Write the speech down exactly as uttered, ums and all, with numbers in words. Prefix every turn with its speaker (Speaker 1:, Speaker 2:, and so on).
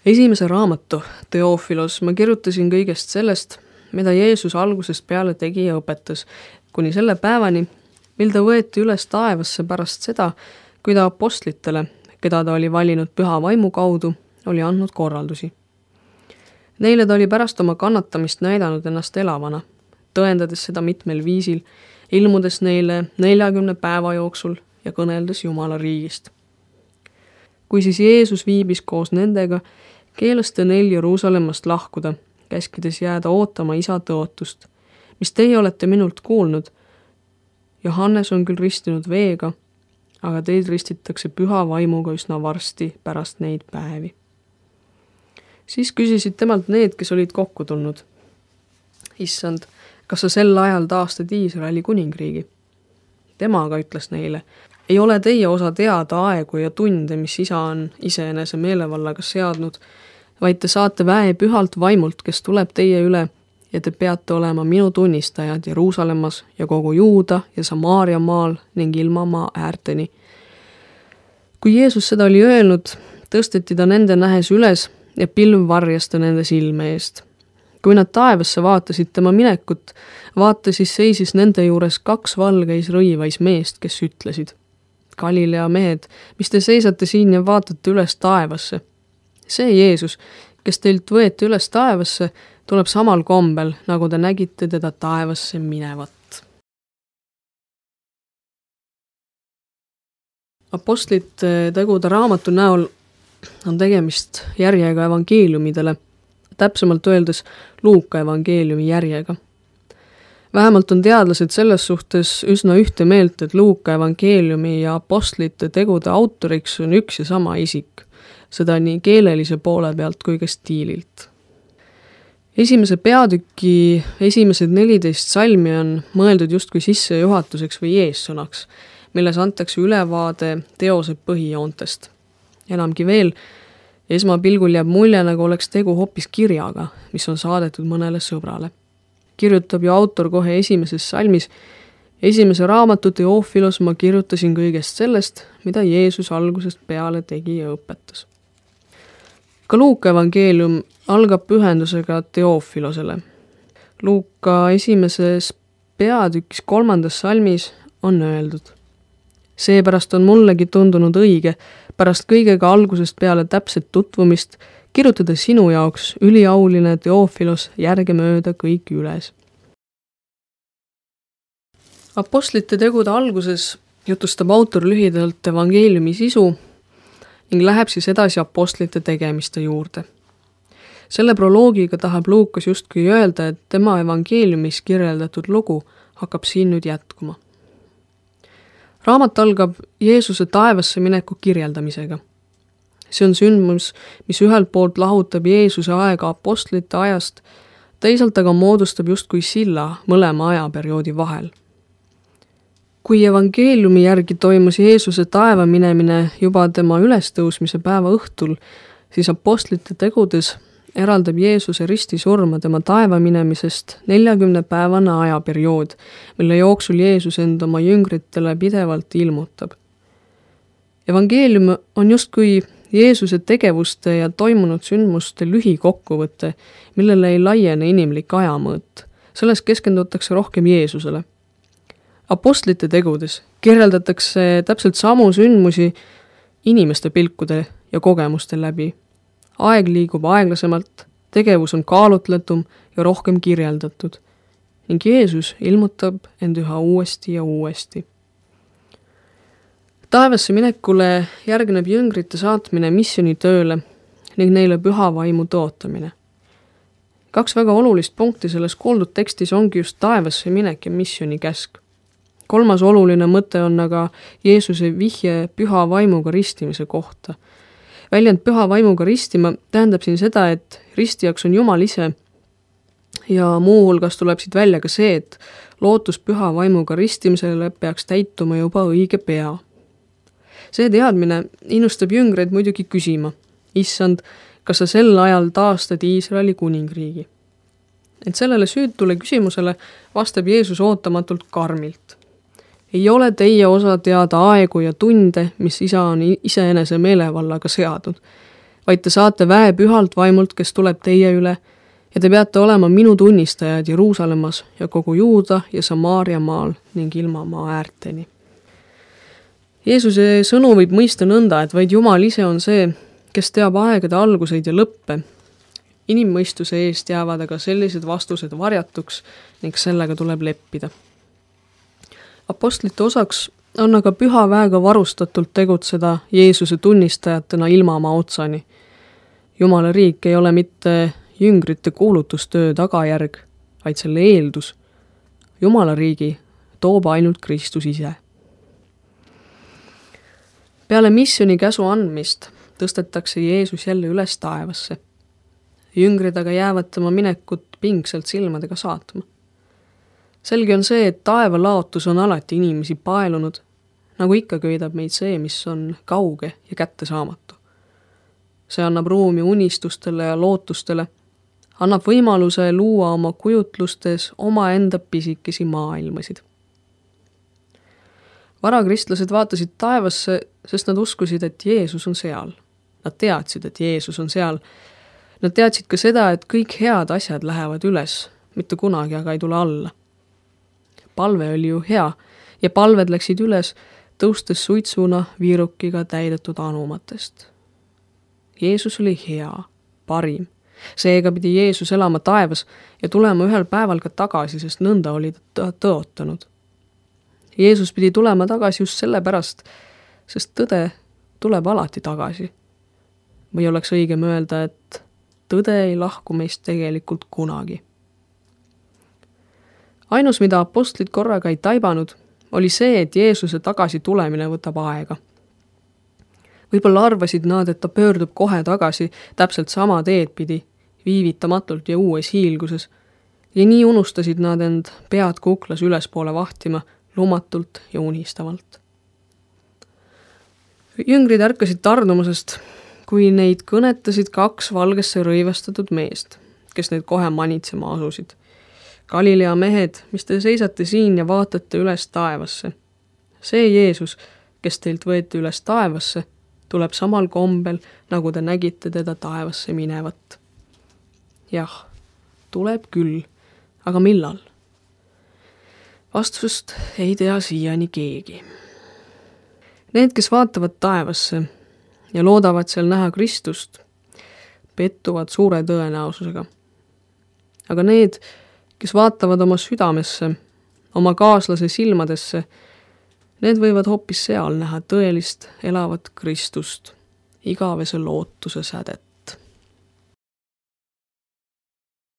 Speaker 1: Esimese raamatu, Teofilos, ma kirjutasin kõigest sellest, mida Jeesus algusest peale tegi ja õpetas, kuni selle päevani, mil ta võeti üles taevasse pärast seda, kui ta apostlitele, keda ta oli valinud püha vaimu kaudu, oli andnud korraldusi. Neile ta oli pärast oma kannatamist näidanud ennast elavana, tõendades seda mitmel viisil, ilmudes neile neljakümne päeva jooksul ja kõneldes Jumala riigist. Kui siis Jeesus viibis koos nendega, keelas ta neil Jeruusalemmast lahkuda, käskides jääda ootama isa tõotust, mis teie olete minult kuulnud. Johannes on küll ristinud veega, aga teid ristitakse püha vaimuga üsna varsti pärast neid päevi. Siis küsisid temalt need, kes olid kokku tulnud. Issand, kas sa sel ajal taastad Iisraeli kuningriigi? Tema aga ütles neile, ei ole teie osa teada aegu ja tunde, mis isa on iseenese meelevallaga seadnud, vaid te saate väe pühalt vaimult, kes tuleb teie üle, ja te peate olema minu tunnistajad Jeruusalemmas ja kogu Juuda ja Samaaria maal ning ilma maa äärteni. Kui Jeesus seda oli öelnud, tõsteti ta nende nähes üles ja pilv varjas ta nende silme eest. Kui nad taevasse vaatasid tema minekut, vaata siis seisis nende juures kaks valgeis rõivais meest, kes ütlesid, Galilea mehed, mis te seisate siin ja vaatate üles taevasse? See Jeesus, kes teilt võeti üles taevasse, tuleb samal kombel, nagu te nägite teda taevasse minevat. Apostlite tegude raamatu näol on tegemist järjega evangeeliumidele, täpsemalt öeldes Luuka evangeeliumi järjega. Vähemalt on teadlased selles suhtes üsna ühte meelt, et Luuka evangeeliumi ja apostlite tegude autoriks on üks ja sama isik, seda nii keelelise poole pealt kui ka stiililt. Esimese peatüki esimesed neliteist salmi on mõeldud justkui sissejuhatuseks või eessõnaks, milles antakse ülevaade teose põhijoontest. Enamgi veel, esmapilgul jääb mulje, nagu oleks tegu hoopis kirjaga, mis on saadetud mõnele sõbrale. Kirjutab ju autor kohe esimeses salmis, esimese raamatu Teofilos ma kirjutasin kõigest sellest, mida Jeesus algusest peale tegi ja õpetas. Ka Luuka evangeelium algab pühendusega Teofilosele. Luuka esimeses peatükis kolmandas salmis on öeldud. Seepärast on mullegi tundunud õige, pärast kõigega algusest peale täpset tutvumist, kirjutada sinu jaoks üliauline Teofilos järgemööda kõik üles. Apostlite tegude alguses jutustab autor lühidalt evangeeliumi sisu ning läheb siis edasi apostlite tegemiste juurde. Selle proloogiga tahab Luukas justkui öelda, et tema evangeeliumis kirjeldatud lugu hakkab siin nüüd jätkuma. Raamat algab Jeesuse taevasse mineku kirjeldamisega. See on sündmus, mis ühelt poolt lahutab Jeesuse aega apostlite ajast, teisalt aga moodustab justkui silla mõlema ajaperioodi vahel. Kui evangeeliumi järgi toimus Jeesuse taeva minemine juba tema ülestõusmise päeva õhtul, siis apostlite tegudes eraldab Jeesuse ristisurma tema taeva minemisest neljakümne päevane ajaperiood, mille jooksul Jeesus end oma jüngritele pidevalt ilmutab. Evangeelium on justkui Jeesuse tegevuste ja toimunud sündmuste lühikokkuvõte, millele ei laiene inimlik ajamõõt. Selles keskendutakse rohkem Jeesusele. Apostlite tegudes kirjeldatakse täpselt samu sündmusi inimeste pilkude ja kogemuste läbi. Aeg liigub aeglasemalt, tegevus on kaalutletum ja rohkem kirjeldatud. Ning Jeesus ilmutab end üha uuesti ja uuesti. Taevasse minekule järgneb jüngrite saatmine missionitööle ning neile püha vaimu tõotamine. Kaks väga olulist punkti selles kuuldud tekstis ongi just taevasse minek ja missioni käsk. Kolmas oluline mõte on aga Jeesuse vihje püha vaimuga ristimise kohta. Väljend püha vaimuga ristima tähendab siin seda, et ristijaks on Jumal ise ja muu hulgas tuleb siit välja ka see, et lootus püha vaimuga ristimisele peaks täituma juba õige pea. See teadmine innustab jüngreid muidugi küsima, issand, kas sa sel ajal taastad Iisraeli kuningriigi? Et sellele süütule küsimusele vastab Jeesus ootamatult karmilt. Ei ole teie osa teada aegu ja tunde, mis isa on iseenese meelevallaga seadnud, vaid te saate väe pühalt vaimult, kes tuleb teie üle, ja te peate olema minu tunnistajad Jeruusalemmas ja kogu Juuda ja Samaaria maal ning ilma maa äärteni. Jeesuse sõnu võib mõista nõnda, et vaid Jumal ise on see, kes teab aegade alguseid ja lõppe. Inimmõistuse eest jäävad aga sellised vastused varjatuks ning sellega tuleb leppida. Apostlite osaks on aga püha väega varustatult tegutseda Jeesuse tunnistajatena ilma oma otsani. Jumala riik ei ole mitte jüngrite kuulutustöö tagajärg, vaid selle eeldus. Jumala riigi toob ainult Kristus ise. Peale missiooni käsu andmist tõstetakse Jeesus jälle üles taevasse. Jüngrid aga jäävad tema minekut pingselt silmadega saatma. Selge on see, et taeva laotus on alati inimesi paelunud, nagu ikka köidab meid see, mis on kauge ja kättesaamatu. See annab ruumi unistustele ja lootustele, annab võimaluse luua oma kujutlustes omaenda pisikesi maailmasid. Varakristlased vaatasid taevasse, sest nad uskusid, et Jeesus on seal. Nad teadsid, et Jeesus on seal. Nad teadsid ka seda, et kõik head asjad lähevad üles, mitte kunagi aga ei tule alla. Palve oli ju hea ja palved läksid üles, tõustes suitsuna viirukiga täidetud anumatest. Jeesus oli hea, parim. Seega pidi Jeesus elama taevas ja tulema ühel päeval ka tagasi, sest nõnda oli ta tõotanud. Jeesus pidi tulema tagasi just sellepärast, sest tõde tuleb alati tagasi. Või oleks õigem öelda, et tõde ei lahku meist tegelikult kunagi. Ainus, mida apostlid korraga ei taibanud, oli see, et Jeesuse tagasi tulemine võtab aega. Võib-olla arvasid nad, et ta pöördub kohe tagasi täpselt sama teed pidi, viivitamatult ja uues hiilguses, ja nii unustasid nad end pead kuklas ülespoole vahtima, lumatult ja unistavalt. Jüngrid ärkasid tardumusest, kui neid kõnetasid kaks valgesse rõivastatud meest, kes neid kohe manitsema asusid. Galilea mehed, mis te seisate siin ja vaatate üles taevasse. See Jeesus, kes teilt võeti üles taevasse, tuleb samal kombel, nagu te nägite teda taevasse minevat. Jah, tuleb küll, aga millal? Vastust ei tea siiani keegi. Need, kes vaatavad taevasse ja loodavad seal näha Kristust, pettuvad suure tõenäosusega. Aga need, kes vaatavad oma südamesse, oma kaaslase silmadesse, need võivad hoopis seal näha tõelist elavat Kristust, igavese lootuse sädet.